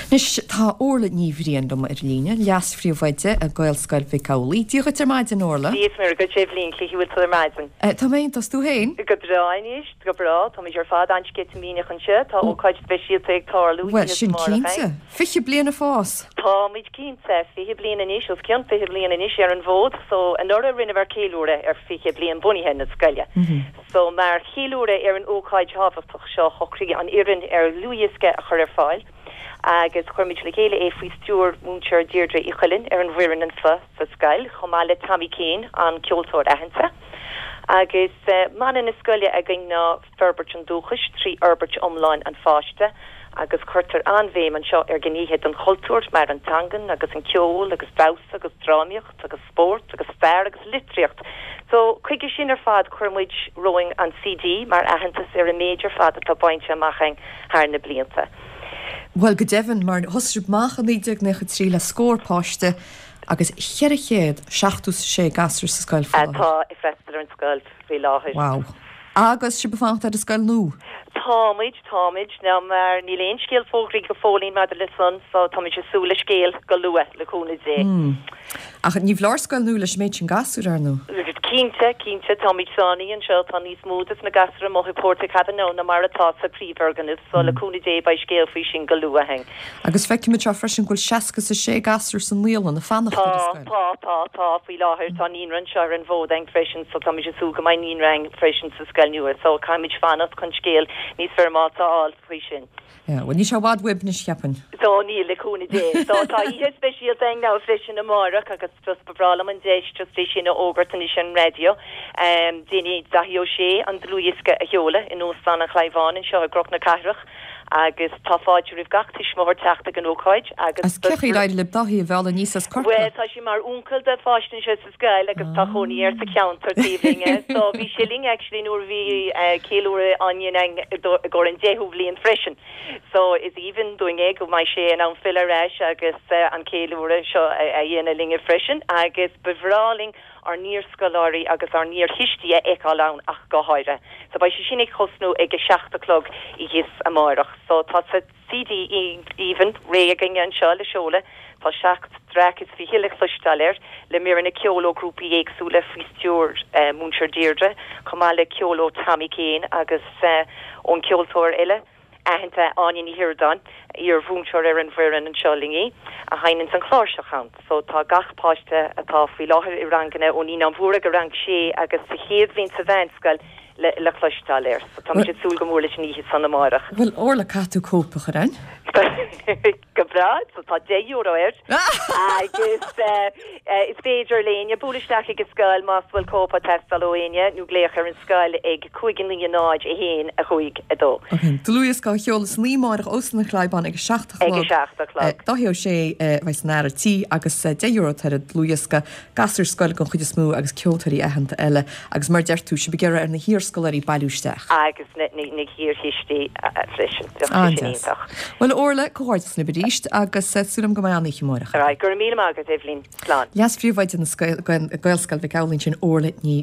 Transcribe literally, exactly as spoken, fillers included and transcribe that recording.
Anois tá Orla Ní Bhriain liom ar líne, leas-phríomhoide i Gaelscoil Mhic Amhlaigh. Dia dhuit ar maidin Orla. Dia is Muire dhuit Eibhlín, cén chaoi a bhfuil tú ar maidin. Tá mé iontach, 's tú féin? Go breá anois, go breá, táimid ar fad an-sceitimíneach anseo, tá ócáid speisialta ag tarlú Bhuel, sin cinnte. Fiche bliain ag fás! Táimid cinnte, fiche bliain anois, os cionn fiche bliain anois ar an bhfód, so anuraidh rinneamar ceiliúradh ar fiche bliain bunaithe na scoile. So mar cheiliúradh ar an ócáid thábhachtach seo shocraigh an fhoireann ar dhlúthdhiosca a chur ar fáil agus chuir muid le chéile é faoi stiúir Múinteoir Deirdre Uí Chuilinn ar an bhfoireann anseo sa scoil, chomh maith le Tommy Keane, an ceoltóir aitheanta. Agus mana na scoile againn ná forbairt an dúchais trí fhorbairt iomlán an pháiste agus cuirtear an-bhéim anseo ar ghnéithe den chultúr mar an teangain agus an ceol agus damhsa agus drámaíocht agus spórt agus stair agus litríocht. So chuige sin ar fad chuir muid romhainn an CD mar aitheantas ar an méid ar fad atá bainte amach againn thar na blianta. Bhuel, go deimhin, mar thosaigh sibh amach i naoi déag naocha trí le scór páiste agus cheithre chéad seachtó is a sé gasúr sa scoil faoi láthair. Atá ag freastal ar an scoil faoi láthair. Wow. Agus sibh ag fanacht ar an scoil nua? Táimid, táimid. Now mar níl aon scéal fógraithe go fóillín maidir le san, so táimid ag súil le scéal go luath, le cúnamh Dé. Ach ní foláir scoil nua leis an méid sin gasúr, ar ndóigh. Cinnte, cinnte, táimid sáinnithe anseo, tá níos mó des na gasúir amuigh i Portakabin now ná mar atá sa phríomhfhoirgneamh, so le cúnamh Dé beidh scéal faoi sin go luath againn. Agus feicim anseo freisin go bhfuil seasca is a sé gasúr sa naíolann ag fanacht ar an scoil. Tá, tá, tá, faoi láthair tá naíonra anseo ar an bhfód againn freisin, so táimid ag súil go mbeidh naíonra againn freisin sa scoil nua, so caithfimid fanacht chun scéal níos foirmeálta a fháil faoi sin. Yeah, bhuel níl sé i bhfad uaibh anois, cheapfainn. So níl, le cúnamh Dé. So tá oíche speisialta againn now freisin amárach agus just ba bhreá liom an deis just é sin a fhógairt anois ar an raidió. Um, déanfaidh Daithí Ó Sé an dlúthdhiosca a sheoladh in Óstán an Chabháin anseo i gCnoc na Cathrach agus tá fáilte roimh gach tuismitheoir teacht ag an ócáid agus As cén chaoi ar éirigh libh Daithí a mhealladh aníos as Bhuel, Corcaigh? tá sé mar uncail do pháiste anseo sa scoil agus tá cónaí air sa cheantar taobh linn. So bhí sé linn actually nuair a bhí eh, ceiliúradh á dhéanamh i gcomhair an deichiú bhliain freisin. So is aoibhinn dúinn é go mbeidh sé in ann filleadh ar ais agus eh, an ceiliúradh seo a a dhéanamh linne freisin agus ba bhreá linn ár n-iarscoláirí agus ár n-iarthuistí a fheiceáil ann ach go háirithe. So beidh sé sin ag tosnú ag a seacht a chlog oíche amárach. So tá sa CD aoibhinn réidh againne anseo le seoladh, tá seacht dtraic is fiche le cloisteáil air, le míreanna ceoil ó ghrúpaí éagsúla faoi stiúir eh, Múinteoir Deirdre, chomh maith le ceol ó Tommy Keane agus eh, ón ceoltóir eile aitheanta Áine Ní Shíordáin, iar-mhúinteoir ar an bhfoireann anseo linn í, a sheinneann an chláirseach ann. So tá gach páiste atá faoi láthair i ranganna ó Naíonáin Mhóra go rang sé agus sa chéad bhliain sa mheánscoil le, le cloisteáil air. So táimid ag súil go mór leis an oíche san amárach. Bhuel, Orla, caithfidh tú cóip a chur chugainn? Go breá, so tá deich euro air agus uh, uh, is féidir le éinne bualadh isteach ag an scoil más bhfuil cóip ag teastáil ó éinne nó glaoch ar an scoil ag cúig naoi náid a haon a cúig a dó. Ok, Dlúthdhiosca á sheoladh san oíche amárach Óstán an Chabháin ag a seacht a Ag a chlog. seacht a chlog. Daithí Ó Sé a bheidh san fhear tí agus eh, deich euro ar an dlúthdhiosca gasúir scoile den chuid is mó agus ceoltóirí aitheanta eile agus mar deir tú sibh ag iarraidh ar na hiarscoláirí bailiú isteach. agus na, na, na hiarthuistí freisin. Bheadh sé sin An-deas. iontach. Bhuel Orla, comhghairdeas libh arís agus eh, súil agam go mbeidh an-oíche amárach. Right, go raibh míle maith agat Eibhlín. Slán. Leas-phríomhoide na scoil- Gaelscoil Mhic Amhlaigh sin Orla Ní